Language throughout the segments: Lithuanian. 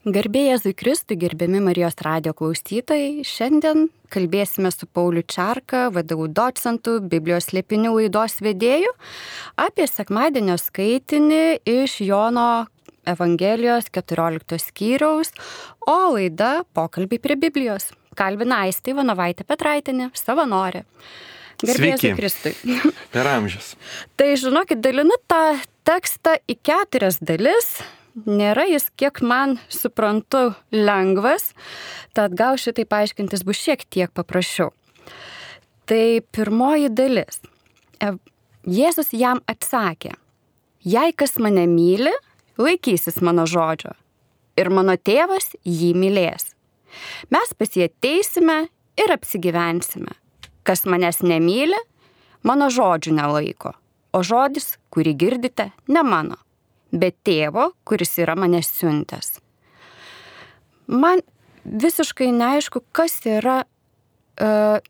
Garbė Jėzui Kristui, gerbiami Marijos radijo klausytojai, šiandien kalbėsime su Pauliu Čarka, VDU docentu, Biblijos slėpinių laidos vedėju, apie sekmadienio skaitinį iš Jono Evangelijos 14 skyriaus, o laida Pokalbiai prie Biblijos. Kalbina Aistė Ivanovaitė Petraitinė, savanorė. Garbė Jėzui Kristui. Per amžius. Tai žinokit, dalinu tą tekstą į 4 dalis. Nėra jis, kiek man suprantu, lengvas, tad gal šitai paaiškintis bus šiek tiek paprasčiau. Tai pirmoji dalis. Jėzus jam atsakė, jei kas mane myli, laikysis mano žodžio ir mano tėvas jį mylės. Mes pas jį ateisime ir apsigyvensime. Kas manęs nemyli, mano žodžių nelaiko, o žodis, kurį girdite, ne mano, bet tėvo, kuris yra mane siuntęs. Man visiškai neaišku, kas yra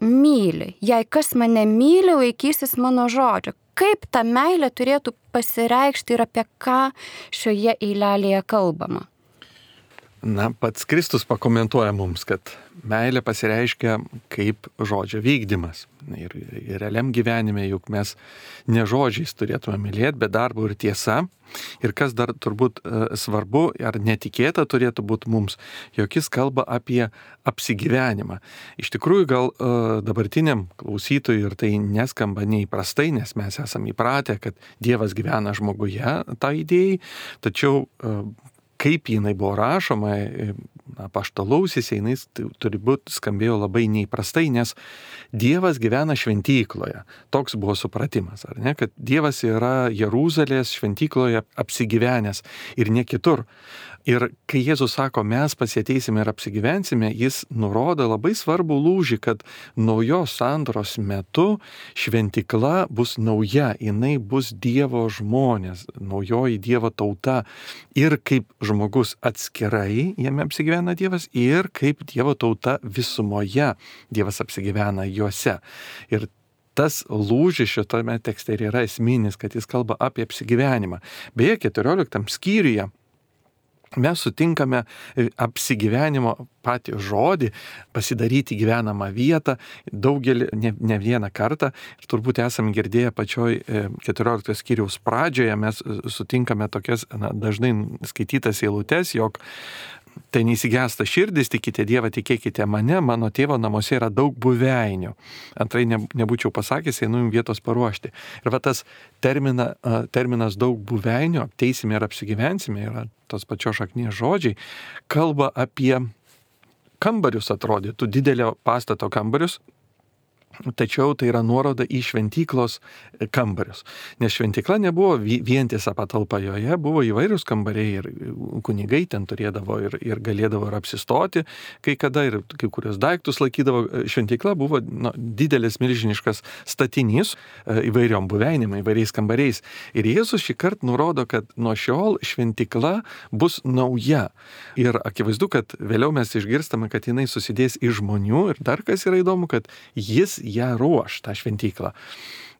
myli. Jei kas mane myli, laikysis mano žodžio. Kaip ta meilė turėtų pasireikšti ir apie ką šioje eilelėje kalbama? Na, pats Kristus pakomentuoja mums, kad meilė pasireiškia kaip žodžio vykdymas. Ir realiam gyvenime juk mes ne žodžiais turėtume mylėti, bet darbu ir tiesa. Ir kas dar turbūt svarbu ar netikėta turėtų būti mums, jog jis kalba apie apsigyvenimą. Iš tikrųjų, gal dabartiniam klausytojui ir tai neskamba neįprastai, nes mes esame įpratę, kad Dievas gyvena žmoguje, tą idėją, tačiau kaip jinai buvo rašoma, apaštalausis, jinai turbūt skambėjo labai neįprastai, nes Dievas gyvena šventykloje. Toks buvo supratimas, ar ne? Kad Dievas yra Jeruzalės šventykloje apsigyvenęs ir ne kitur. Ir kai Jėzus sako, mes pasieteisime ir apsigyvensime, jis nurodo labai svarbų lūžį, kad naujos sandoros metu šventykla bus nauja, jinai bus Dievo žmonės, naujoji Dievo tauta. Ir kaip žmogus atskirai jame apsigyvena Dievas, ir kaip Dievo tauta visumoje Dievas apsigyvena juose. Ir tas lūžis šitame tekste yra esminis, kad jis kalba apie apsigyvenimą. Beje, 14 skyriuje mes sutinkame apsigyvenimo patį žodį, pasidaryti gyvenamą vietą, daugelį, ne vieną kartą. Ir turbūt esame girdėję pačioj 14 skyriaus pradžioje, mes sutinkame tokias dažnai skaitytas eilutes, jog tai neįsigęsta širdis, tikite Dievą, tikėkite mane, mano tėvo namuose yra daug buveinių. Antrai nebūčiau pasakęs, einu jums vietos paruošti. Ir va tas terminas daug buveinių, ateisime ir apsigyvensime, yra tos pačios šaknies žodžiai, kalba apie kambarius, atrodytų, didelio pastato kambarius, tačiau tai yra nuoroda į šventyklos kambarius. Nes šventykla nebuvo vientisa patalpa, joje buvo įvairius kambariai ir kunigai ten turėdavo ir galėdavo ir apsistoti, kai kada ir kai kurios daiktus laikydavo. Šventykla buvo didelis milžiniškas statinys įvairiom buveinėm, įvairiais kambariais. Ir Jėzus šį kartą nurodo, kad nuo šiol šventykla bus nauja. Ir akivaizdu, kad vėliau mes išgirstame, kad jinai susidės iš žmonių. Ir dar kas yra įdomu, kad jis ją ruoš, tą šventyklą.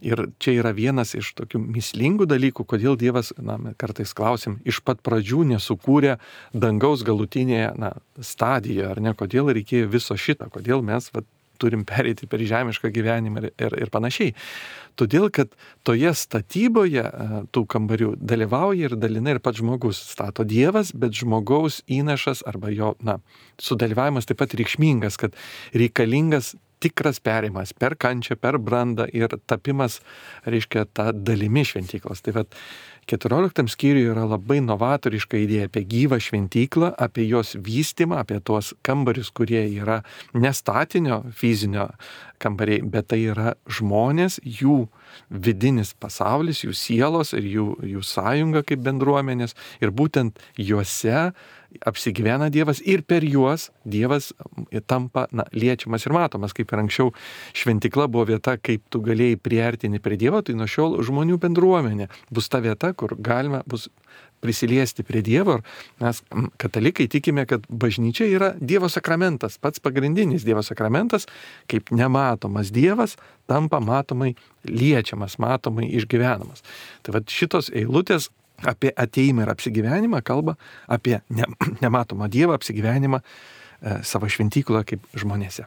Ir čia yra vienas iš tokių mįslingų dalykų, kodėl Dievas, kartais klausim, iš pat pradžių nesukūrė dangaus galutinėje stadijoje, ar ne, kodėl reikėjo viso šito, kodėl mes turim pereiti per žemišką gyvenimą ir panašiai. Todėl, kad toje statyboje tų kambarių dalyvauja ir dalinai ir pats žmogus. Stato Dievas, bet žmogaus įnašas arba jo sudalyvavimas taip pat reikšmingas, kad reikalingas tikras perimas per kančią, per brandą ir tapimas, reiškia, tą dalimi šventyklos. Tai 14 skyriuje yra labai novatoriška idėja apie gyvą šventyklą, apie jos vystymą, apie tuos kambarius, kurie yra ne statinio fizinio kambariai, bet tai yra žmonės, jų vidinis pasaulis, jų sielos ir jų sąjunga kaip bendruomenės. Ir būtent juose apsigyvena Dievas ir per juos Dievas tampa liečiamas ir matomas. Kaip ir anksčiau šventykla buvo vieta, kaip tu galėjai priartinti prie Dievo, tai nuo šiol žmonių bendruomenė bus ta vieta, kur galima bus prisiliesti prie Dievo. Ir mes, katalikai, tikime, kad bažnyčia yra Dievo sakramentas, pats pagrindinis Dievo sakramentas, kaip nematomas Dievas tampa matomai liečiamas, matomai išgyvenamas. Tai šitos eilutės apie ateimą ir apsigyvenimą kalba apie nematomą Dievą, apsigyvenimą savo šventykloje kaip žmonėse.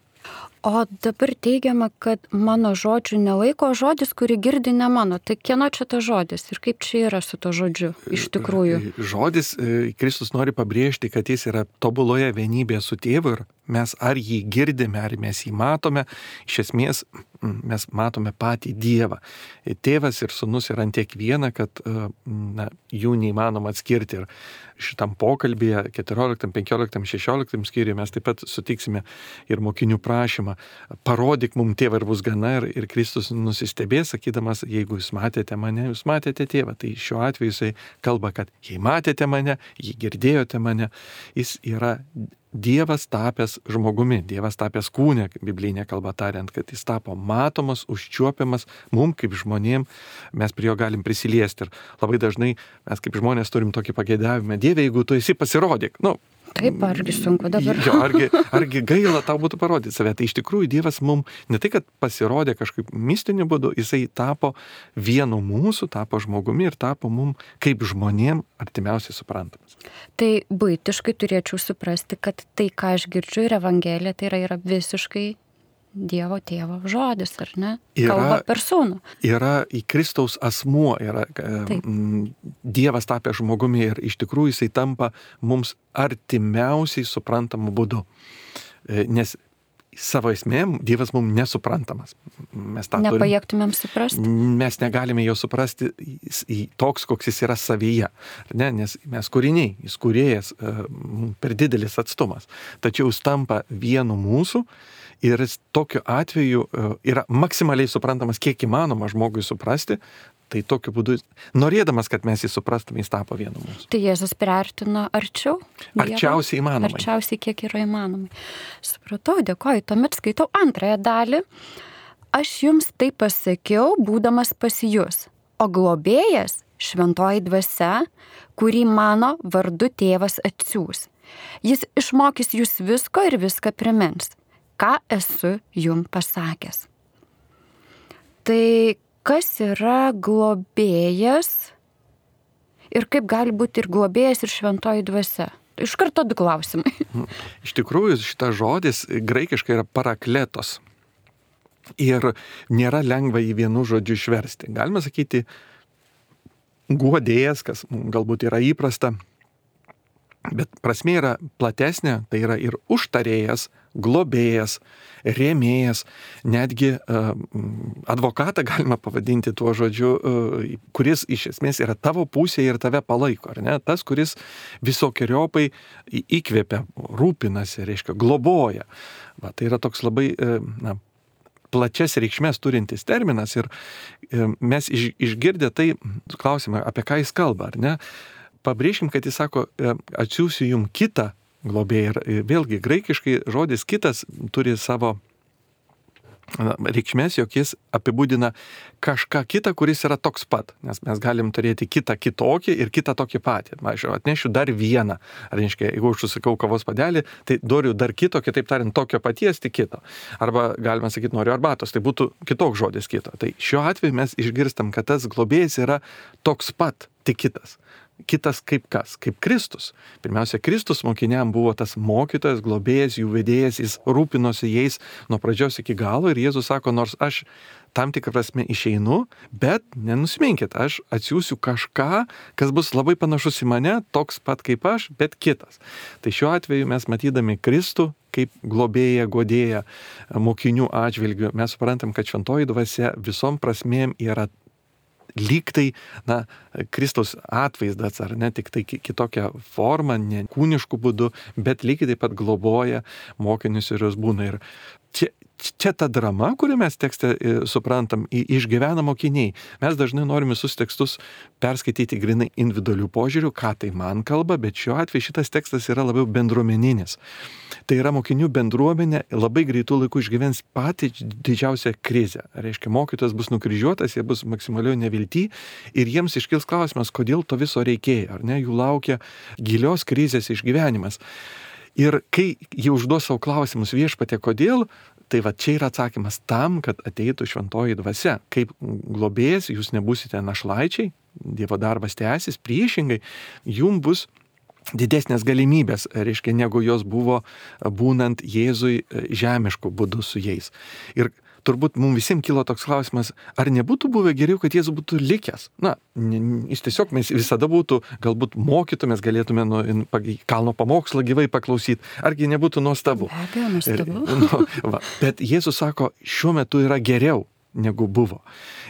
O dabar teigiama, kad mano žodžių nelaiko žodis, kurį girdi ne mano. Tai kieno čia tas žodis ir kaip čia yra su to žodžiu iš tikrųjų? Žodis, Kristus nori pabrėžti, kad jis yra tobuloje vienybėje su tėvu ir mes ar jį girdime, ar mes jį matome, iš esmės mes matome patį Dievą. Tėvas ir sūnus yra ant tiek viena, kad jų neįmanoma atskirti. Ir šitam pokalbėje 14, 15, 16 skyriuje mes taip pat sutiksime ir mokinių prašymą. Parodyk mums tėvą ir bus gana, ir Kristus nusistebės, sakydamas, jeigu jūs matėte mane, jūs matėte tėvą. Tai šiuo atveju jisai kalba, kad jei matėte mane, jei girdėjote mane, jis yra Dievas tapęs žmogumi, Dievas tapęs kūne, biblinė kalba tariant, kad jis tapo matomas, užčiuopiamas, mums kaip žmonėm, mes prie jo galim prisiliesti. Ir labai dažnai mes kaip žmonės turim tokį pageidavimą, Dieve, jeigu tu esi, pasirodyk. Taip, argi sunku dabar. Jo, argi gaila tau būtų parodyti save. Tai iš tikrųjų Dievas mums ne tai, kad pasirodė kažkaip mistiniu būdu, jisai tapo vienu mūsų, tapo žmogumi ir tapo mums kaip žmonėm artimiausiai suprantamas. Tai buitiškai turėčiau suprasti, kad tai, ką aš girdžiu ir Evangelija, tai yra visiškai Dievo tėvo žodis, ar ne? Kalba per sūnų. Yra į Kristaus asmuo, yra Dievas tapęs žmogumi ir iš tikrųjų jisai tampa mums artimiausiai suprantamu būdu. Nes savo esmėm Dievas mums nesuprantamas. Mes tą nepajėgtumėm suprasti. Mes negalime jo suprasti toks, koks jis yra savyje. Ne? Nes mes kūriniai, jis kūrėjas, per didelis atstumas. Tačiau jis tampa vienu mūsų. Ir jis tokiu atveju yra maksimaliai suprantamas, kiek įmanoma žmogui suprasti, tai tokiu būdu, norėdamas, kad mes jį suprastume, jis tapo vienu mūsų. Tai Jėzus priartino arčiau? Arčiausiai įmanomai. Arčiausiai, kiek yra įmanomai. Supratau, dėkoju. Tuomet skaitau antrąją dalį. Aš jums tai pasakiau, būdamas pas jus, o globėjas, šventoji dvasia, kurį mano vardu tėvas atsiųs. Jis išmokys jūs visko ir viską primins, ką esu jums pasakęs. Tai kas yra globėjas ir kaip gali būti ir globėjas ir šventoji dvasia? Iš karto du klausimai. Iš tikrųjų, šitas žodis graikiškai yra parakletos ir nėra lengva jį vienu žodžiu išversti. Galima sakyti guodėjas, kas galbūt yra įprasta, bet prasmė yra platesnė, tai yra ir užtarėjas, globėjas, rėmėjas, netgi advokatą galima pavadinti tuo žodžiu, kuris iš esmės yra tavo pusėje ir tave palaiko, ar ne? Tas, kuris visokiojopai įkvepia, rūpinasi, reiškia, globoja. Tai yra toks labai plačias reikšmės turintis terminas ir mes išgirdę tai klausimą, apie ką jis kalba, ar ne? Pabrėžkim, kad jis sako, atsiųsiu jums kitą globėją. Ir vėlgi, graikiškai žodis kitas turi savo reikšmės, jog jis apibūdina kažką kitą, kuris yra toks pat. Nes mes galim turėti kitą kitokį ir kitą tokį patį. Aš atnešiu dar vieną. Reiškia, jeigu aš užsakau kavos padelį, tai noriu dar kito, kitaip tariant, tokio paties, tik kito. Arba galima sakyti, noriu arbatos, tai būtų kitoks žodis kito. Tai šiuo atveju mes išgirstam, kad tas globėjas yra toks pat, tik kitas. Kitas kaip kas? Kaip Kristus. Pirmiausia, Kristus mokiniam buvo tas mokytojas, globėjas, jų vedėjas, jis rūpinosi jais nuo pradžios iki galo ir Jėzus sako, nors aš tam tikrą prasme išeinu, bet nenusiminkit, aš atsiųsiu kažką, kas bus labai panašus į mane, toks pat kaip aš, bet kitas. Tai šiuo atveju mes matydami Kristų kaip globėją, guodėją mokinių atžvilgių, mes suprantam, kad šventoji dvasia visom prasmėm yra lyg tai, Kristaus atvaizdas, ar ne, tik tai kitokia forma, ne kūniškų būdų, bet lygiai taip pat globoja mokinius ir jos būna. Ir čia ta drama, kurią mes tekste suprantam, išgyvena mokiniai. Mes dažnai norime visus tekstus perskaityti grinai individualių požiūrių, ką tai man kalba, bet šiuo atveju šitas tekstas yra labiau bendruomeninis. Tai yra mokinių bendruomenė labai greitų laikų išgyvens patį didžiausią krizę. Reiškia, mokytojas bus nukryžiuotas, jie bus maksimaliai nevilty ir jiems iškils klausimas, kodėl to viso reikėjo, ar ne, jų laukia gilios krizės išgyvenimas. Ir kai jie užduos savo klausimus viešpatie, kodėl, Tai va čia yra atsakymas tam, kad ateitų šventoji dvasia. Kaip globėjas jūs nebūsite našlaičiai, Dievo darbas tęsis, priešingai, jums bus didesnės galimybės, reiškia, negu jos buvo būnant Jėzui žemišku būdu su jais. Ir turbūt mums visiems kilo toks klausimas, ar nebūtų buvę geriau, kad Jėzus būtų likęs? Na, jis tiesiog mes visada būtų, galbūt mokytumės, galėtume kalno pamokslą gyvai paklausyti, argi nebūtų nuostabu? Be abejo, nuostabu. Bet Jėzus sako, šiuo metu yra geriau negu buvo.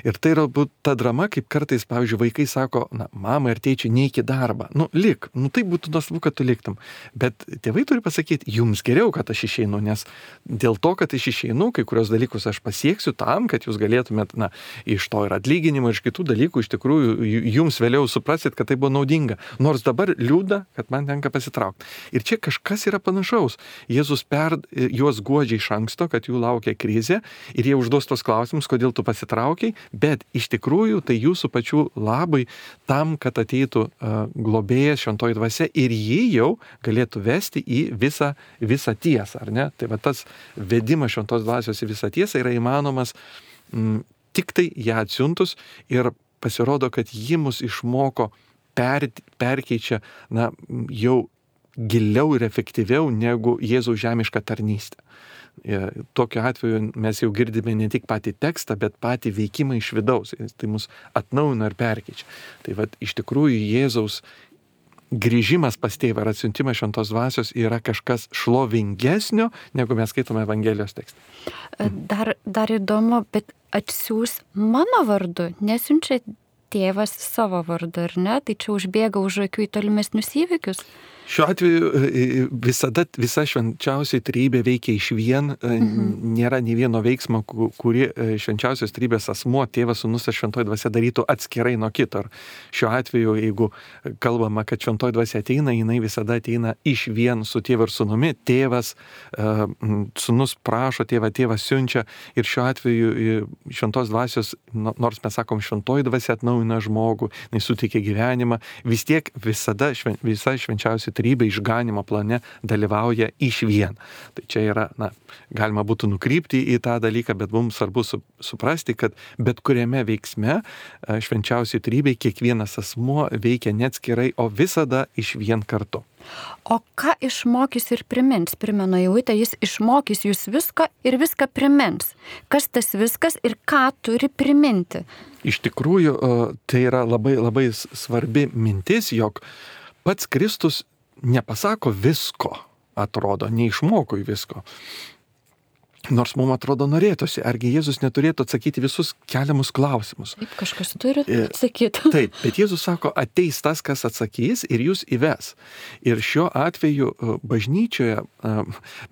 Ir tai yra ta drama, kaip kartais, pavyzdžiui, vaikai sako, na, mama ir tėčiai, neik į darbą. Lik, tai būtų nuostabu, kad tu liktum. Bet tėvai turi pasakyti, jums geriau, kad aš išeinu, nes dėl to, kad aš išeinu, kai kurios dalykus aš pasieksiu tam, kad jūs galėtumėt, iš to ir atlyginimo, iš kitų dalykų, iš tikrųjų, jums vėliau suprasit, kad tai buvo naudinga. Nors dabar liūdna, kad man tenka pasitraukti. Ir čia kažkas yra panašaus. Jėzus juos guodžia iš anksto, kad jų laukia krizė ir jie užduos tos klausimus, kodėl tu pasitraukiai, bet iš tikrųjų tai jūsų pačių labai tam, kad ateitų globėjas, šventoji dvasia ir jį jau galėtų vesti į visą tiesą, ar ne? Tai va tas vedimas šventos dvasios į visą tiesą yra įmanomas tik tai ją atsiuntus ir pasirodo, kad ji mus išmoko, perkeičia, jau giliau ir efektyviau negu Jėzaus žemiška tarnystė. Tokiu atveju mes jau girdime ne tik patį tekstą, bet patį veikimą iš vidaus. Tai mus atnaujina ir perkeičia. Tai va, iš tikrųjų Jėzaus grįžimas pas tėvą ir atsiuntimas šventos dvasios yra kažkas šlovingesnio, negu mes skaitome Evangelijos tekstą. Dar įdomu, bet atsiųs mano vardu, nesiunčia tėvas savo vardu, ar ne? Tai čia užbėga už akių į tolimesnius įvykius. Šiuo atveju visa švenčiausioji trejybė veikia išvien, nėra nei vieno veiksmo, kurį švenčiausios trejybės asmuo, tėvas, sūnus ir šventoji dvasia darytų atskirai nuo kito. Šiuo atveju, jeigu kalbama, kad šventoji dvasia ateina, jinai visada ateina išvien su tėvu ir sūnumi. Tėvas, sūnus prašo, tėvas siunčia ir šiuo atveju šventos dvasios, nors mes sakom, šventoji dvasia atnaujina žmogų, jinai suteikia gyvenimą, vis tiek visada visa švenčiausioji trejybė išganimo plane dalyvauja išvien. Tai čia yra, galima būtų nukrypti į tą dalyką, bet mums svarbu suprasti, kad bet kuriame veiksme švenčiausiai trejybei kiekvienas asmuo veikia neatskirai, o visada išvien kartu. O ką išmokys ir primins? Primenu Eilutę, jis išmokys jūs viską ir viską primins. Kas tas viskas ir ką turi priminti? Iš tikrųjų, tai yra labai, labai svarbi mintis, jog pats Kristus nepasako visko, atrodo, neišmoko visko. Nors mums atrodo norėtųsi, argi Jėzus neturėtų atsakyti visus keliamus klausimus. Taip, kažkas turi atsakyti. Taip, bet Jėzus sako, ateis tas, kas atsakys ir jūs įves. Ir šiuo atveju bažnyčioje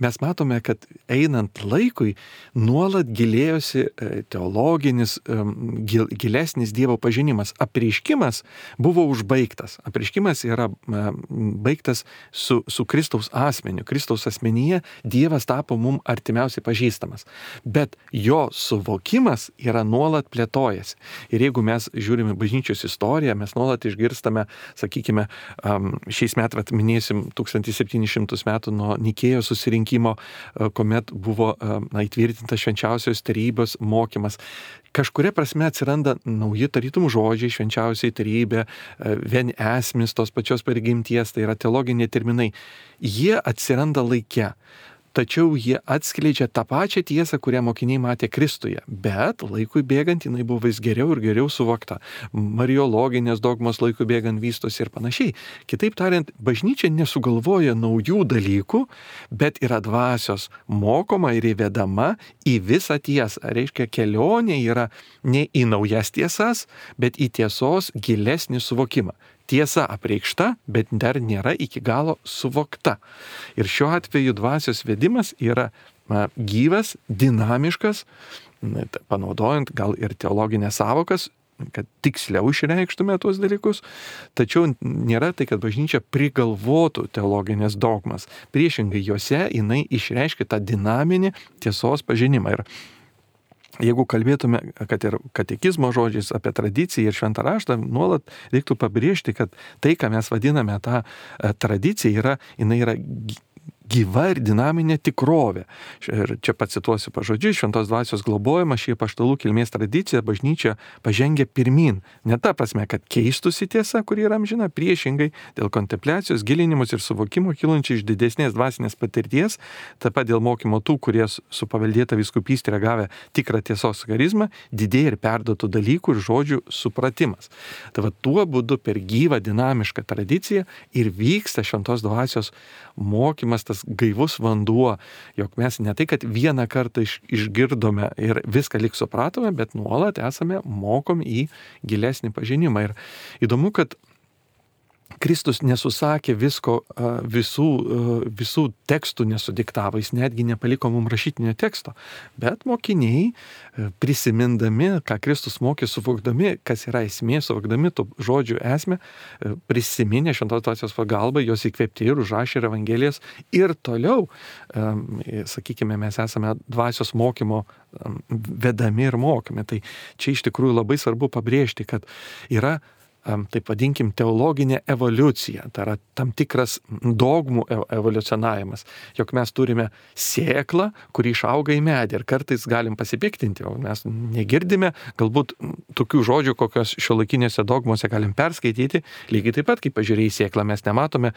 mes matome, kad einant laikui nuolat gilėjosi teologinis, gilesnis Dievo pažinimas. Apreiškimas buvo užbaigtas. Apreiškimas yra baigtas su Kristaus asmeniu. Kristaus asmenyje Dievas tapo mums artimiausiai pažinimas. Bet jo suvokimas yra nuolat plėtojasi. Ir jeigu mes žiūrime bažnyčios istoriją, mes nuolat išgirstame, sakykime, šiais metais minėsim 1700 metų nuo Nikėjos susirinkimo, kuomet buvo įtvirtintas švenčiausios trejybės mokymas. Kažkuria prasme atsiranda nauji tarytum žodžiai, švenčiausiai trejybė, vien esmis tos pačios prigimties, tai yra teologiniai terminai. Jie atsiranda laike. Tačiau jie atskleidžia tą pačią tiesą, kurią mokiniai matė Kristuje. Bet laikui bėgant jinai buvo vis geriau ir geriau suvokta. Mariologinės dogmos laikui bėgant vystosi ir panašiai. Kitaip tariant, bažnyčia nesugalvoja naujų dalykų, bet yra dvasios mokoma ir įvedama į visą tiesą. Reiškia, kelionė yra ne į naujas tiesas, bet į tiesos gilesnį suvokimą. Tiesa apreikšta, bet dar nėra iki galo suvokta. Ir šiuo atveju dvasios vedimas yra gyvas, dinamiškas, panaudojant gal ir teologinės savokas, kad tiksliau išreikštume tuos dalykus, tačiau nėra tai, kad bažnyčia prigalvotų teologinės dogmas. Priešingai jose jinai išreiškia tą dinaminį tiesos pažinimą. Ir jeigu kalbėtume, kad ir katekizmo žodžiais apie tradiciją ir šventą raštą, nuolat reiktų pabrėžti, kad tai, ką mes vadiname tą tradiciją, jinai yra gyva ir dinaminė tikrovė. Ir čia pacituosiu pažodžiui, šventos dvasios globojama šį apaštalų kilmės tradiciją bažnyčia pažengia pirmin. Ne ta prasme, kad keistųsi tiesa, kuri yra amžina, priešingai dėl kontempliacijos, gilinimus ir suvokimo kylančių iš didesnės dvasinės patirties, taip pat dėl mokymo tų, kurie su paveldėta vyskupystė yra gavę tikrą tiesos charizmą, didėja ir perduotų dalykų ir žodžių supratimas. Tai va tuo būdu per gyvą dinamišką tradiciją ir vyksta šventos dvasios mokymas, tas gaivus vanduo, jog mes ne tai, kad vieną kartą išgirdome ir viską lyg supratome, bet nuolat esame mokomi į gilesnį pažinimą. Ir įdomu, kad Kristus nesusakė visko, visų tekstų nesudiktavo, jis netgi nepaliko mums rašytinio teksto, bet mokiniai, prisimindami, ką Kristus mokė, suvokdami, kas yra esmė, suvokdami tų žodžių esmę, prisiminė šventos dvasios pagalbą, jos įkvėpti ir užrašė ir evangelijas ir toliau, sakykime, mes esame dvasios mokymo vedami ir mokomi. Tai čia iš tikrųjų labai svarbu pabrėžti, kad yra taip vadinkim, teologinė evoliucija, tai yra tam tikras dogmų evoliucionavimas, jog mes turime sėklą, kuri išauga į medį ir kartais galim pasipiktinti, o mes negirdime galbūt tokių žodžių, kokios šiuolaikinėse dogmose galim perskaityti, lygiai taip pat, kaip pažiūrėjai sėklą, mes nematome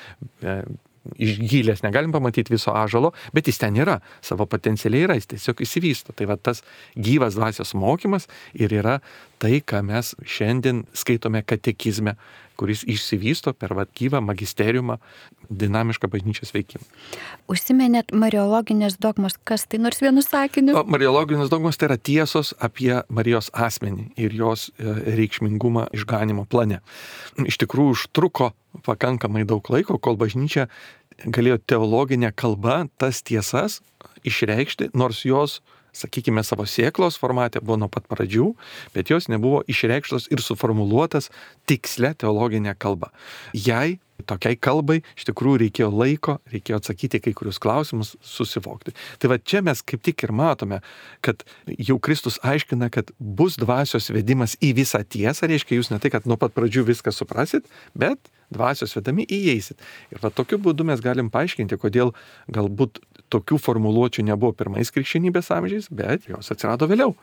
iš gilės, negalim pamatyti viso ąžuolo, bet jis ten yra, savo potencialiai yra, jis tiesiog įsivysto. Tai va tas gyvas dvasios mokymas ir yra tai, ką mes šiandien skaitome katekizme, kuris išsivysto per va gyvą magisteriumą, dinamišką bažnyčios veikimą. Užsiminėt mariologinės dogmos, kas tai nors vienu sakiniu? Mariologinės dogmos tai yra tiesos apie Marijos asmenį ir jos reikšmingumą išganimo plane. Iš tikrųjų užtruko pakankamai daug laiko, kol bažnyčia galėjo teologinę kalbą tas tiesas išreikšti, nors jos, sakykime, savo sėklos formate buvo nuo pat pradžių, bet jos nebuvo išreikštos ir suformuluotas tikslia teologinė kalba. Jai, tokiai kalbai, iš tikrųjų reikėjo laiko, reikėjo atsakyti kai kurius klausimus, susivokti. Tai va čia mes kaip tik ir matome, kad jau Kristus aiškina, kad bus dvasios vedimas į visą tiesą, reiškia jūs ne tai, kad nuo pat pradžių viską suprasit, bet dvasios vedami įeisit. Ir va tokiu būdu mes galim paaiškinti, kodėl galbūt tokių formuluočių nebuvo pirmais krikščionybės amžiais, bet jos atsirado vėliau.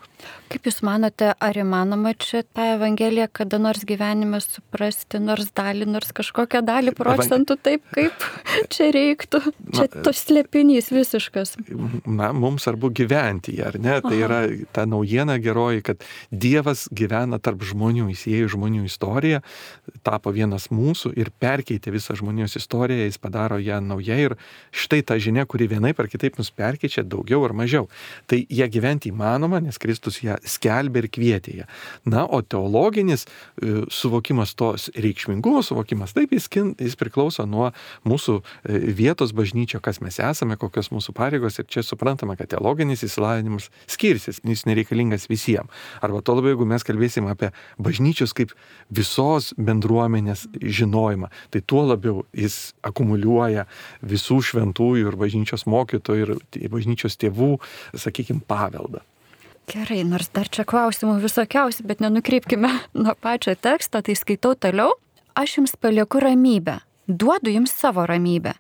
Kaip Jūs manote, ar įmanoma čia tą Evangeliją kada nors gyvenime suprasti, nors dalį, nors kažkokią dalį procentų taip, kaip čia reiktų? Čia tos slėpinys visiškas. Na, mums svarbu gyventi, ar ne? Tai yra ta naujiena geroji, kad Dievas gyvena tarp žmonių, jis įėjo į žmonių istoriją, tapo vienas mūsų ir perkeitė visą žmonijos istoriją, jis padaro ją nauja ir štai ta žinia, kuri vienaip ar kitaip mus perkeičia daugiau ar mažiau. Tai ją gyventi įmanoma, nes Kristus ją skelbė ir kvietė ją. Na, o teologinis suvokimas, tos reikšmingumo suvokimas, taip jis priklauso nuo mūsų vietos bažnyčio, kas mes esame, kokios mūsų pareigos ir čia suprantama, kad teologinis įsilavinimas skirsis, jis nereikalingas visiems. Arba to labiau, jeigu mes kalbėsim apie bažnyčios kaip visos bendruomenės žinojimą, tai tuo labiau jis akumuliuoja visų šventųjų ir bažnyčios mokytojų ir bažnyčios tėvų, sakykime, paveldą. Gerai, nors dar čia klausimų visokiausių, bet nenukreipkime nuo pačio teksto, tai skaitau toliau. Aš jums palieku ramybę, duodu jums savo ramybę.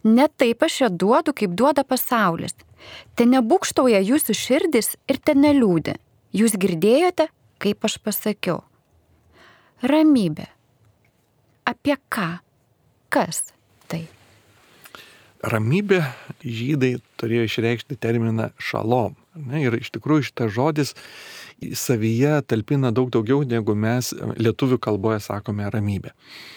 Ne taip aš ją duodu, kaip duoda pasaulis. Te nebūkštauja jūsų širdis ir te neliūdi. Jūs girdėjote, kaip aš pasakiau. Ramybė. Apie ką? Kas tai? Ramybė žydai turėjo išreikšti terminą šalom. Ir iš tikrųjų šitas žodis savyje talpina daug daugiau, negu mes lietuvių kalboje sakome ramybė.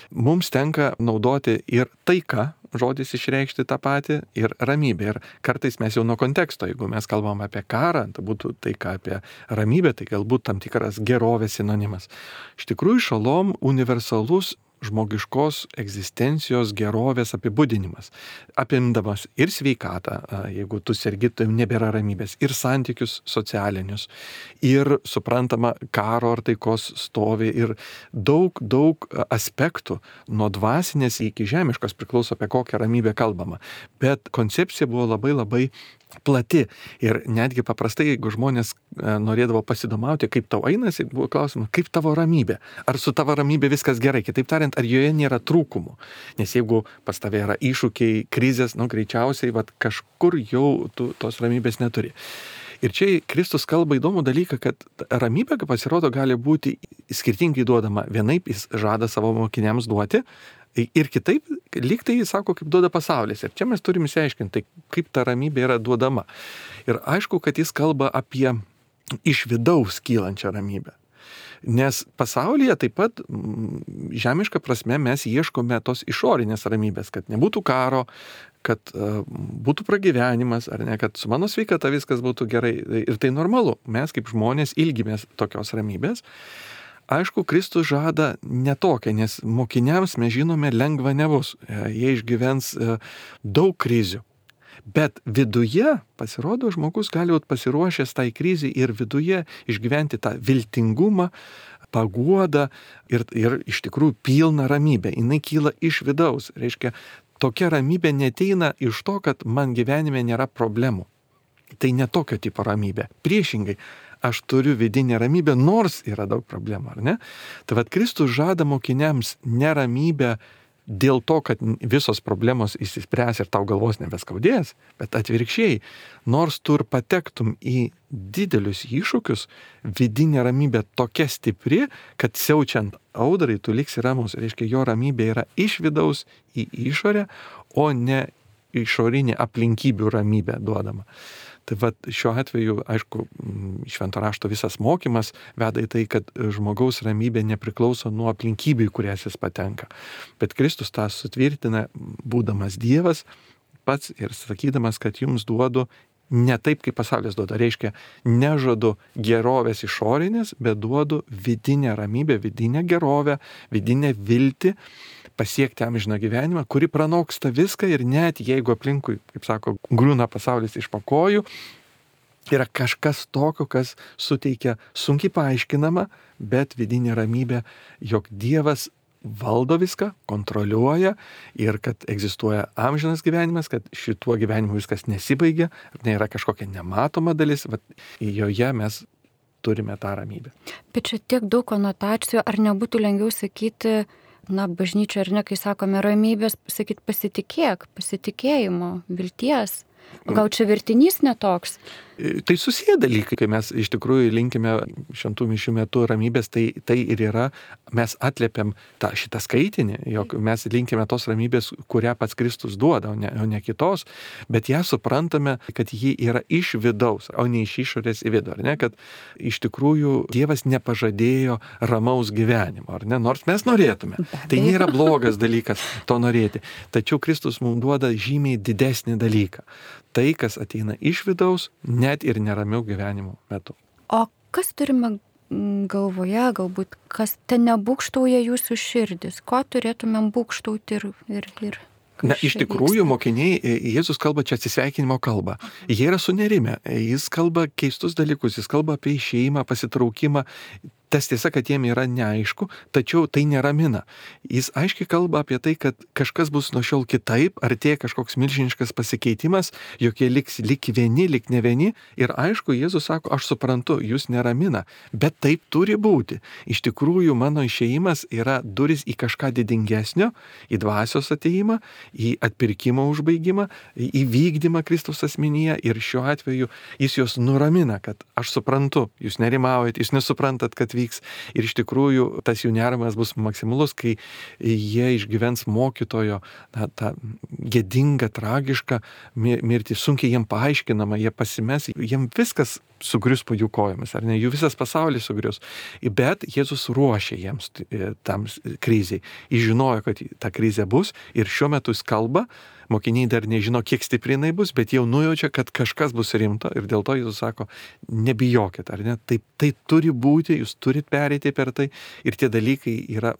Mums tenka naudoti ir taika, žodis išreikšti tą patį, ir ramybė. Ir kartais mes jau nuo konteksto, jeigu mes kalbam apie karą, tai būtų taika apie ramybę, tai galbūt tam tikras gerovės sinonimas. Iš tikrųjų šalom universalus žmogiškos egzistencijos gerovės apibūdinimas, apimdamas ir sveikatą, jeigu tu sergi, tai nebėra ramybės, ir santykius socialinius, ir suprantama karo ar taikos stovi, ir daug aspektų nuo dvasinės iki žemiškos priklauso, apie kokią ramybę kalbama. Bet koncepcija buvo labai plati ir netgi paprastai, jeigu žmonės norėdavo pasidomauti, kaip tau einasi, buvo klausimas, kaip tavo ramybė, ar su tavo ramybė viskas gerai, kitaip tariant, nebent ar joje nėra trūkumų. Nes jeigu pas tave yra iššūkiai, krizės, greičiausiai kažkur jau tu tos ramybės neturi. Ir čia Kristus kalba įdomų dalyką, kad ramybė, kaip pasirodo, gali būti skirtingai duodama. Vienaip jis žada savo mokiniams duoti ir kitaip, lyg tai jis sako, kaip duoda pasaulis. Ir čia mes turime išsiaiškinti, kaip ta ramybė yra duodama. Ir aišku, kad jis kalba apie iš vidaus kylančią ramybę. Nes pasaulyje taip pat žemiška prasme mes ieškome tos išorinės ramybės, kad nebūtų karo, kad būtų pragyvenimas, ar ne, kad su mano sveikata viskas būtų gerai. Ir tai normalu. Mes kaip žmonės ilgimės tokios ramybės. Aišku, Kristus žada netokią, nes mokiniams mes žinome lengva nebus. Jie išgyvens daug krizių. Bet viduje, pasirodo, žmogus gali būti pasiruošęs tai krizai ir viduje išgyventi tą viltingumą, paguodą ir iš tikrųjų pilną ramybę. Jis kyla iš vidaus. Reiškia, tokia ramybė neteina iš to, kad man gyvenime nėra problemų. Tai ne tokio tipo ramybė. Priešingai, aš turiu vidinę ramybę, nors yra daug problemų, ar ne? Tai Kristus žada mokiniams neramybę dėl to, kad visos problemos išsispręs ir tau galvos nebeskaudės, bet atvirkščiai, nors tu ir patektum į didelius iššūkius, vidinė ramybė tokia stipri, kad siaučiant audrai tu liksi ramus. Reiškia, jo ramybė yra iš vidaus į išorę, o ne išorinė aplinkybių ramybė duodama. Tai šiuo atveju, aišku, švento rašto visas mokymas veda į tai, kad žmogaus ramybė nepriklauso nuo aplinkybių, kurias jis patenka. Bet Kristus tą sutvirtina, būdamas Dievas pats ir sakydamas, kad jums duodu ne taip, kaip pasaulis duoda. Reiškia, nežadu gerovės išorinės, bet duodu vidinę ramybę, vidinę gerovę, vidinę viltį, pasiekti amžiną gyvenimą, kuri pranoksta viską ir net jeigu aplinkui, kaip sako, griūna pasaulis iš po kojų, yra kažkas tokio, kas suteikia sunkiai paaiškinama, bet vidinė ramybė, jog Dievas valdo viską, kontroliuoja ir kad egzistuoja amžinas gyvenimas, kad šituo gyvenimu viskas nesibaigia, nėra kažkokia nematoma dalis, joje mes turime tą ramybę. Bet čia tiek daug konotacijų, ar nebūtų lengviau sakyti, bažnyčia ar ne, kai sakome ramybės, sakyti pasitikėjimo, vilties. O gal čia vertinys netoks? Tai susiję dalykai, kai mes iš tikrųjų linkime šventų mišių metu ramybės, tai ir yra, mes atliepiam šitą skaitinį, jog mes linkime tos ramybės, kurią pats Kristus duoda, o ne kitos, bet ją suprantame, kad ji yra iš vidaus, o ne iš išorės į vidų, ar ne, kad iš tikrųjų Dievas nepažadėjo ramaus gyvenimo, ar ne, nors mes norėtume. Tai nėra blogas dalykas to norėti, tačiau Kristus mums duoda žymiai didesnį dalyką. Tai, kas ateina iš vidaus, net ir neramiau gyvenimo metu. O kas turime galvoje, galbūt, kas ten nebūkštauja jūsų širdis? Ko turėtumėm būkštauti ir Na, iš tikrųjų, mokiniai, Jėzus kalba čia atsisveikinimo kalbą. Jie yra sunerimę, jis kalba keistus dalykus, jis kalba apie išėjimą, pasitraukimą. Tas tiesa, kad jiem yra neaišku, tačiau tai neramina. Jis aiškiai kalba apie tai, kad kažkas bus nuo šiol kitaip, artėja kažkoks milžiniškas pasikeitimas, jog jie liks lik vieni, lik ne vieni. Ir aišku, Jėzus sako, aš suprantu, jūs neramina, bet taip turi būti. Iš tikrųjų, mano išėjimas yra duris į kažką didingesnio, į dvasios atėjimą, į atpirkimo užbaigimą, į vykdymą Kristaus asmenyje. Ir šiuo atveju jis juos nuramina, kad aš suprantu, jūs nerimaujat, jūs nesuprantat, kad vyks. Ir iš tikrųjų tas jų nerimas bus maksimalus, kai jie išgyvens mokytojo tą gėdingą, tragišką mirtį, sunkiai jiem paaiškinama, jie pasimes, jiem viskas sugrius po jų kojomis, ar ne, jų visas pasaulis sugrius. Bet Jėzus ruošia jiems tam kriziai. Jis žinojo, kad ta krizė bus ir šiuo metu jis kalba, mokiniai dar nežino, kiek stipri jinai bus, bet jau nujaučia, kad kažkas bus rimto ir dėl to Jėzus sako, nebijokit, ar ne, tai turi būti, jūs turit pereiti per tai ir tie dalykai yra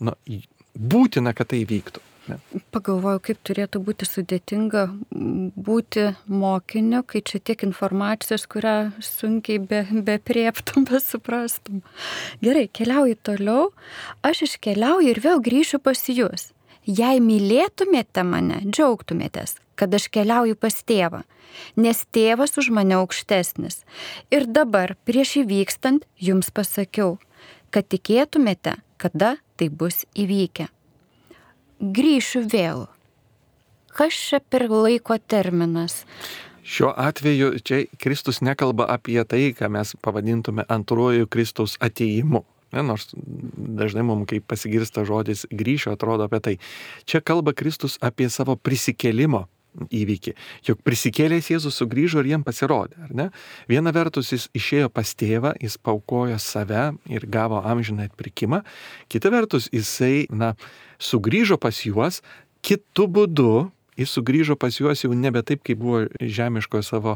būtina, kad tai vyktų. Ne. Pagalvoju, kaip turėtų būti sudėtinga būti mokiniu, kai čia tiek informacijos, kurią sunkiai beprieptum, besuprastum. Gerai, keliauju toliau, aš iškeliauju ir vėl grįšiu pas jūs. Jei mylėtumėte mane, džiaugtumėtės, kad aš keliauju pas tėvą, nes tėvas už mane aukštesnis. Ir dabar, prieš įvykstant, jums pasakiau, kad tikėtumėte, kada tai bus įvykę. grįšiu vėl. Kas čia per laiko terminas? Šiuo atveju čia Kristus nekalba apie tai, ką mes pavadintume antruoju Kristaus atėjimu. Nors dažnai mums, kai pasigirsta žodis grįšiu, atrodo apie tai. Čia kalba Kristus apie savo prisikėlimo įvykį. Juk prisikėlęs Jėzus sugrįžo ir jiem pasirodė, ar ne? Viena vertus jis išėjo pas tėvą, jis paaukojo save ir gavo amžiną atpirkimą. Kita vertus jisai, sugrįžo pas juos kitu būdu. Jis sugrįžo pas juos jau nebe taip, kaip buvo žemiškojo savo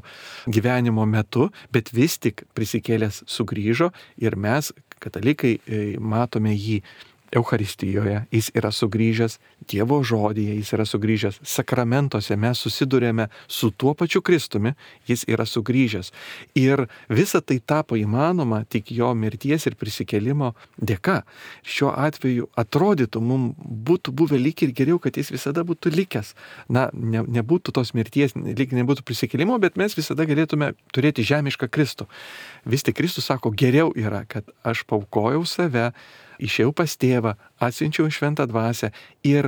gyvenimo metu, bet vis tik prisikėlęs sugrįžo ir mes, katalikai, matome jį Eucharistijoje, jis yra sugrįžęs Dievo žodyje, jis yra sugrįžęs sakramentuose, mes susidurėme su tuo pačiu Kristumi, jis yra sugrįžęs. Ir visa tai tapo įmanoma tik jo mirties ir prisikėlimo dėka. Šiuo atveju atrodytų, mums būtų buvę lyg ir geriau, kad jis visada būtų likęs. Nebūtų tos mirties, lyg nebūtų prisikėlimo, bet mes visada galėtume turėti žemišką Kristų. Vis tik Kristus sako, geriau yra, kad aš paaukojau save, išėjau pas tėvą, atsiunčiau šventą dvasią ir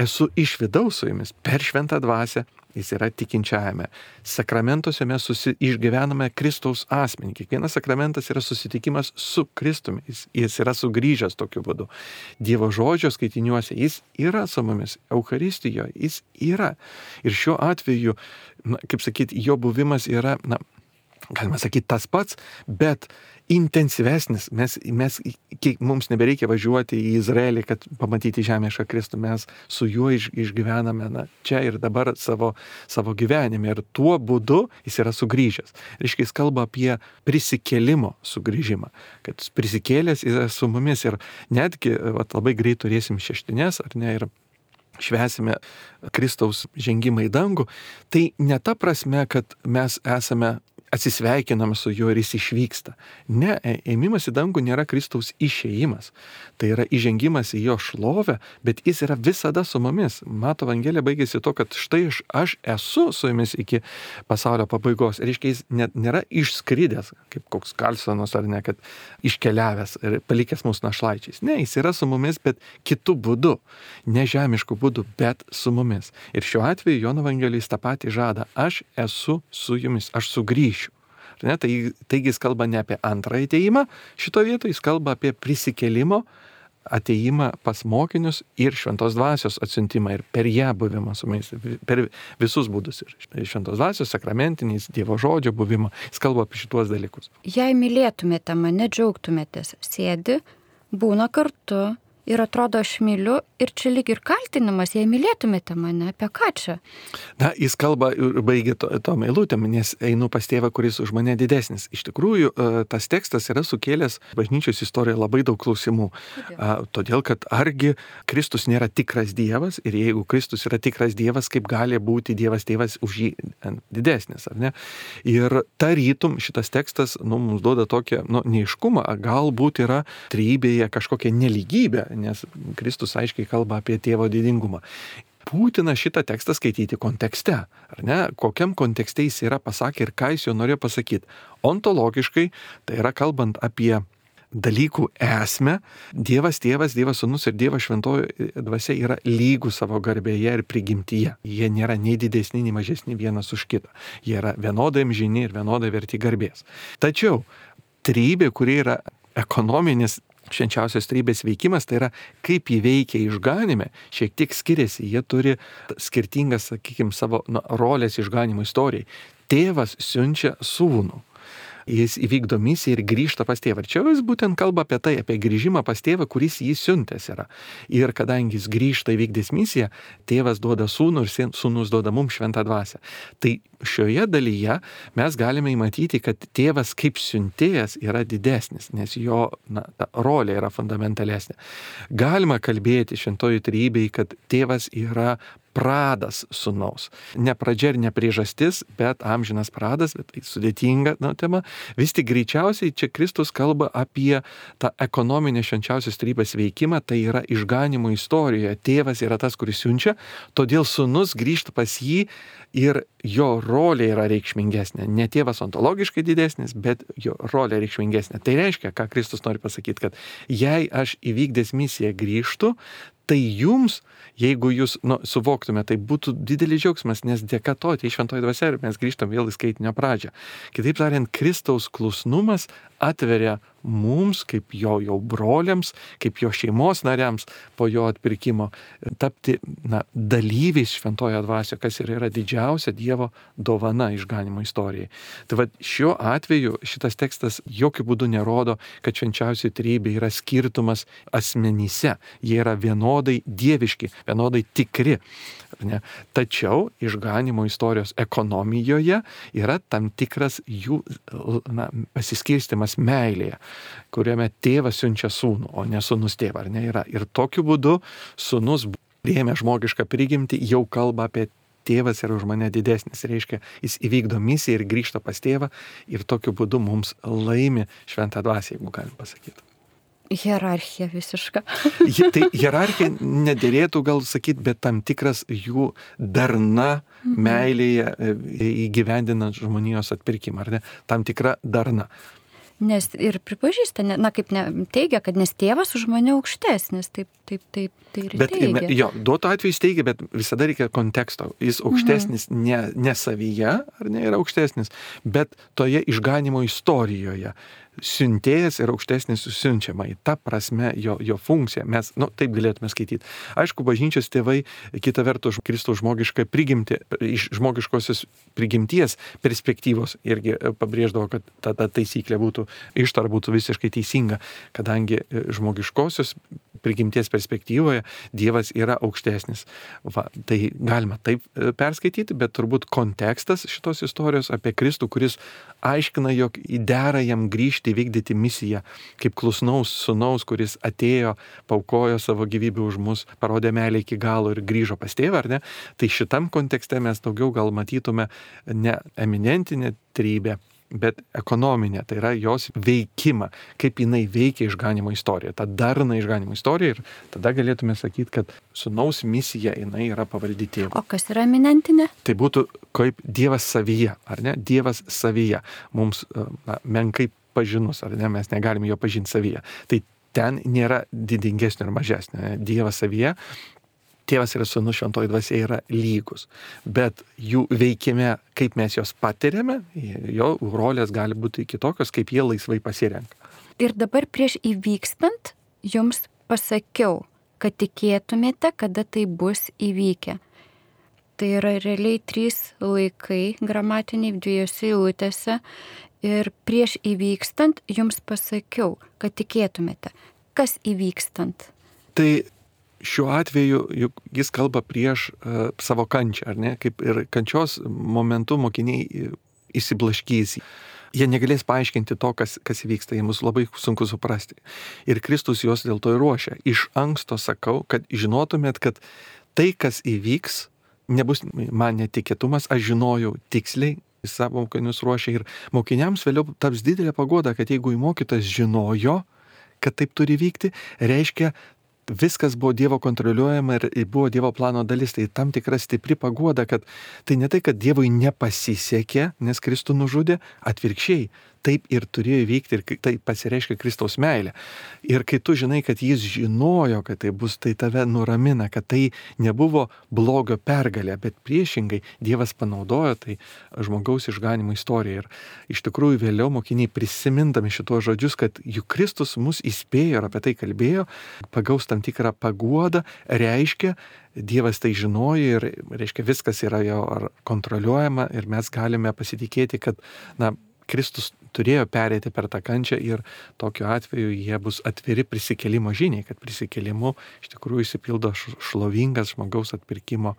esu iš vidaus su jumis per šventą dvasią, jis yra tikinčiajame. Sakramentuose mes išgyvename Kristaus asmenį. Kiekvienas sakramentas yra susitikimas su Kristumi, jis yra sugrįžęs tokiu būdu. Dievo žodžio skaitiniuose jis yra su mumis, Eucharistijoje jis yra. Ir šiuo atveju, kaip sakyti, jo buvimas yra, galima sakyti, tas pats, bet intensyvesnis. Mums nebereikia važiuoti į Izraelį, kad pamatyti žemišką Kristų. Mes su juo išgyvename čia ir dabar savo gyvenime. Ir tuo būdu jis yra sugrįžęs. Reiškia, jis kalba apie prisikėlimo sugrįžimą. Kad prisikėlęs yra su mumis ir netgi labai greit turėsim šeštines, ar ne, ir švęsime Kristaus žengimą į dangų. Tai ne ta prasme, kad mes atsisveikinam su juo ir jis išvyksta. Ne, ėmimas į dangų nėra Kristaus išėjimas. Tai yra įžengimas į jo šlovę, bet jis yra visada su mumis. Mato Evangelija baigėsi to, kad štai aš esu su jumis iki pasaulio pabaigos. Reiškia, jis nėra išskridęs, kaip koks Karlsonas ar ne, kad iškeliavęs ir palikęs mūsų našlaičiais. Ne, jis yra su mumis, bet kitu būdu. Ne žemišku būdu, bet su mumis. Ir šiuo atveju Jono Evangelija tą patį žada. Aš esu su jumis, aš sugrįšiu. Taigi jis kalba ne apie antrą atėjimą, šito vietoje jis kalba apie prisikėlimo atėjimą pas mokinius ir šventos dvasios atsiuntimą ir per ją buvimą su mumis, per visus būdus. Ir šventos dvasios, sakramentinis, Dievo žodžio buvimą, jis kalba apie šituos dalykus. Jei mylėtumėte mane, džiaugtumėtės, sėdi, būna kartu ir atrodo aš myliu ir čia lyg ir kaltinimas, jei mylėtumėte mane, apie ką čia? Jis kalba ir baigia tom eilutėm, nes einu pas tėvą, kuris už mane didesnis. Iš tikrųjų, tas tekstas yra sukėlęs bažnyčios istorijoje labai daug klausimų. Todėl, kad argi Kristus nėra tikras Dievas ir jeigu Kristus yra tikras Dievas, kaip gali būti Dievas tėvas už jį didesnis, ar ne? Ir tarytum šitas tekstas mums duoda tokią neaiškumą, galbūt yra trejybėje kažkokia nelygybė, nes Kristus aiškiai kalba apie tėvo didingumą. Būtina šitą tekstą skaityti kontekste, ar ne? Kokiam kontekste jis yra pasakė ir ką jis jo norėjo pasakyti. Ontologiškai, tai yra kalbant apie dalykų esmę, Dievas tėvas, Dievas sūnus ir Dievas šventoji dvasia yra lygų savo garbėje ir prigimtyje. Jie nėra nei didesni, nei mažesni vienas už kitą. Jie yra vienodai amžini ir vienodai verti garbės. Tačiau trejybė, kuri yra ekonominis švenčiausios trejybės veikimas, tai yra kaip jį veikia išganime, šiek tiek skiriasi. Jie turi skirtingas, sakykime, savo rolės išganimo istorijai. Tėvas siunčia sūnų. Jis įvykdo misiją ir grįžta pas tėvą. Ir čia jis būtent kalba apie tai, apie grįžimą pas tėvą, kuris jį siuntęs yra. Ir kadangi jis grįžta įvykdęs misiją, tėvas duoda sūnų ir sūnus duoda mums šventą dvasią. Tai šioje dalyje mes galime įmatyti, kad tėvas kaip siuntėjas yra didesnis, nes jo ta rolė yra fundamentalesnė. Galima kalbėti šventoji trejybėje, kad tėvas yra pradas sūnaus. Ne pradžia ir ne priežastis, bet amžinas pradas, bet tai sudėtinga tema. Vis tik greičiausiai čia Kristus kalba apie tą ekonominę švenčiausios trejybės veikimą, tai yra išganimo istorijoje. Tėvas yra tas, kuris siunčia, todėl sūnus grįžta pas jį ir jo rolė yra reikšmingesnė. Ne tėvas ontologiškai didesnis, bet jo rolė reikšmingesnė. Tai reiškia, ką Kristus nori pasakyti, kad jei aš įvykdęs misiją grįžtu, tai jums, jeigu jūs suvoktume, tai būtų didelis džiaugsmas, nes dėka to tai šventoji dvasia ir mes grįžtam vėl į skaitinio pradžią. Kitaip tariant, Kristaus klusnumas atveria mums, kaip jo broliams, kaip jo šeimos nariams po jo atpirkimo, tapti dalyviais šventojo dvasioje, kas ir yra didžiausia Dievo dovana išganimo istorijai. Tai va, šiuo atveju šitas tekstas jokių būdų nerodo, kad švenčiausioji trejybė yra skirtumas asmenyse. Jie yra vienodai dieviški, vienodai tikri. Ne? Tačiau išganimo istorijos ekonomijoje yra tam tikras jų pasiskirstimas meilėje, kuriame tėvas siunčia sūnų, o ne sūnus tėvą, ar ne yra. Ir tokiu būdu sūnus, priėmė žmogišką prigimtį, jau kalba apie tėvas yra už mane didesnis. Reiškia, jis įvykdo misiją ir grįžta pas tėvą ir tokiu būdu mums laimi šventą dvasią, jeigu galim pasakyti. Hierarchija visiška. Tai hierarchija nedėrėtų gal sakyti, bet tam tikras jų darna meilėje įgyvendinant žmonijos atpirkimą, ar ne? Tam tikra darna. Nes ir pripažįsta, kaip teigia, kad nes tėvas už mane aukštesnis, taip ir teigia. Jo, duoto atveju jis teigia, bet visada reikia konteksto. Jis aukštesnis ne savyje, ar ne yra aukštesnis, bet toje išganimo istorijoje. Siuntėjas yra aukštesnis siunčiamai. Ta prasme jo funkcija. Mes, taip galėtume skaityti. Aišku, bažnyčios tėvai, kita vertus, Kristaus žmogišką prigimtį, iš žmogiškosios prigimties perspektyvos irgi pabrėždavo, kad ta taisyklė ištara būtų visiškai teisinga, kadangi žmogiškosios prigimties perspektyvoje Dievas yra aukštesnis. Va, tai galima taip perskaityti, bet turbūt kontekstas šitos istorijos apie Kristų, kuris aiškina, jog dera jam grįžti įvykdyti misiją, kaip klusnaus sūnaus, kuris atėjo, paukojo savo gyvybę už mus, parodė meilę iki galo ir grįžo pas tėvą, ar ne? Tai šitam kontekste mes daugiau gal matytume ne eminentinę trejybę, bet ekonominė, tai yra jos veikimą, kaip jinai veikia išganimo istoriją, tą darną išganimo istoriją ir tada galėtume sakyti, kad sūnaus misija jinai yra pavaldi tėvui. O kas yra eminentinė? Tai būtų kaip Dievas savyje, ar ne? Dievas savyje. Mums menkai pažinus, ar ne? Mes negalime jo pažinti savyje. Tai ten nėra didingesnio ir mažesnio. Dievas savyje. Tėvas ir sūnus šventoji dvasia yra lygus, bet jų veikime, kaip mes jos patiriame, jo rolės gali būti kitokios, kaip jie laisvai pasirenka. Ir dabar prieš įvykstant jums pasakiau, kad tikėtumėte, kada tai bus įvykę. Tai yra realiai 3 laikai gramatiniai 2 eilutėse ir prieš įvykstant jums pasakiau, kad tikėtumėte. Kas įvykstant? Tai šiuo atveju juk jis kalba prieš savo kančią, ar ne? Kaip ir kančios momentu mokiniai įsiblaškys. Jie negalės paaiškinti to, kas vyksta, jiems labai sunku suprasti. Ir Kristus juos dėl to ir ruošia. Iš anksto sakau, kad žinotumėt, kad tai, kas įvyks, nebus man netikėtumas, aš žinojau tiksliai, savo mokinius ruošia ir mokiniams vėliau taps didelė paguoda, kad jeigu mokytojas žinojo, kad taip turi vykti, reiškia, viskas buvo Dievo kontroliuojama ir buvo Dievo plano dalis. Tai tam tikra stipri paguoda, kad tai ne tai, kad Dievui nepasisekė, nes Kristų nužudė, atvirkščiai. Taip ir turėjo vykti ir tai pasireiškia Kristaus meilė. Ir kai tu žinai, kad jis žinojo, kad tai bus, tai tave nuramina, kad tai nebuvo blogio pergalė, bet priešingai Dievas panaudojo tai žmogaus išganimo istoriją. Ir iš tikrųjų vėliau mokiniai prisimindami šitos žodžius, kad juk Kristus mus įspėjo ir apie tai kalbėjo, pagaus tam tikrą paguodą, reiškia, Dievas tai žinojo ir reiškia viskas yra jo kontroliuojama ir mes galime pasitikėti, kad Kristus turėjo pereiti per tą kančią ir tokiu atveju jie bus atviri prisikėlimo žiniai, kad prisikėlimu iš tikrųjų įsipildo šlovingas žmogaus atpirkimo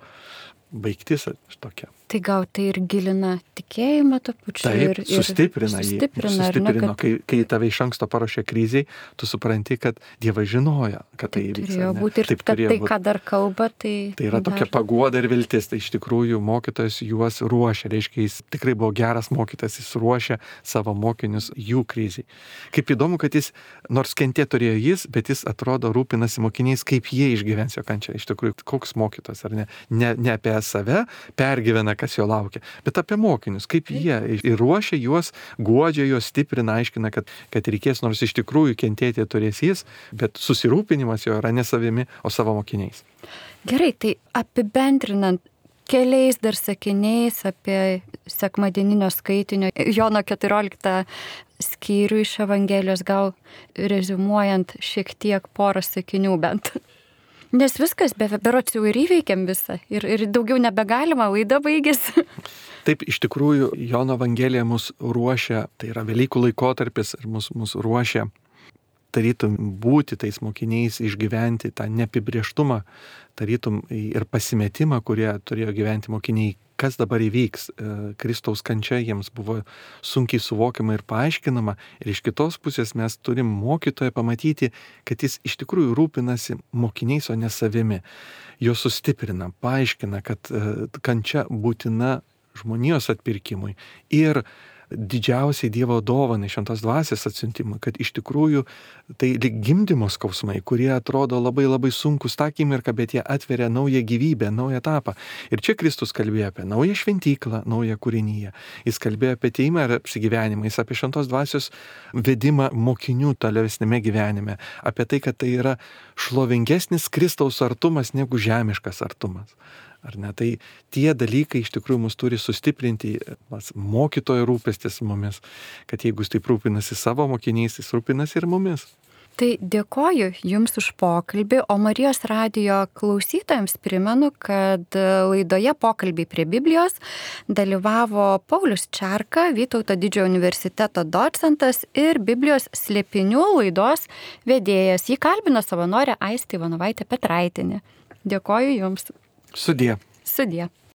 baigtis tokia. Tai gal tai ir gilina tikėjimą to pačiu. Taip, sustiprina jį. Sustiprino, kai tave iš anksto paruošė kriziai, tu supranti, kad Dievas žinojo, kad tai įvyks. Turėjo būti ir tai, ką dar kalba, tai... Tai yra tokia paguoda ir viltis. Tai iš tikrųjų mokytojas juos ruošia. Reiškia, jis tikrai buvo geras mokytojas, jis ruošia savo mokinius jų kriziai. Kaip įdomu, kad jis, nors kentė turėjo jis, bet jis atrodo rūpinasi mokiniais, kaip jie išgyvens jo kančią. Iš tikrųjų, koks mokytojas, ar ne? Ne apie save, pergyvena, kas jo laukia, bet apie mokinius, kaip jie ir ruošia juos, guodžia juos, stiprina, aiškina, kad reikės, nors iš tikrųjų kentėti turės jis, bet susirūpinimas jo yra ne savimi, o savo mokiniais. Gerai, tai apibendrinant keliais dar sakiniais apie sekmadieninio skaitinio Jono 14 skyrių iš Evangelijos, gal reziumuojant šiek tiek porą sakinių bent. Nes viskas, berods jau ir įveikėm visą ir daugiau nebegalima, laida baigėsi. Taip, iš tikrųjų, Jono Evangelija mus ruošia, tai yra Velykų laikotarpis ir mus ruošia tarytum būti tais mokiniais, išgyventi tą neapibrėžtumą, tarytum ir pasimetimą, kurie turėjo gyventi mokiniai, kas dabar įvyks. Kristaus kančia jiems buvo sunkiai suvokiama ir paaiškinama, ir iš kitos pusės mes turim mokytoją pamatyti, kad jis iš tikrųjų rūpinasi mokiniais, o ne savimi. Jo sustiprina, paaiškina, kad kančia būtina žmonijos atpirkimui ir didžiausiai Dievo dovanai, šventos dvasios atsiuntimui, kad iš tikrųjų tai lyg gimdymo skausmai, kurie atrodo labai labai sunkus tą akimirką, bet jie atveria naują gyvybę, naują etapą. Ir čia Kristus kalbėjo apie naują šventyklą, naują kūrinyje. Jis kalbėjo apie atėjimą ir apsigyvenimą, jis apie šventos dvasios vedimą mokinių tolesnėme gyvenime, apie tai, kad tai yra šlovingesnis Kristaus artumas negu žemiškas artumas. Ar ne? Tai tie dalykai iš tikrųjų mus turi sustiprinti, mokytojo rūpestis mumis, kad jeigu jis taip rūpinasi savo mokiniais, jis rūpinasi ir mumis. Tai dėkoju Jums už pokalbį, o Marijos radijo klausytojams primenu, kad laidoje Pokalbiai prie Biblijos dalyvavo Paulius Čerka, Vytauto Didžiojo universiteto docentas ir Biblijos slėpinių laidos vedėjas. Jį kalbino savanorė Aistė Ivanovaitė Petraitienė. Dėkoju Jums. Sudie. Sudie.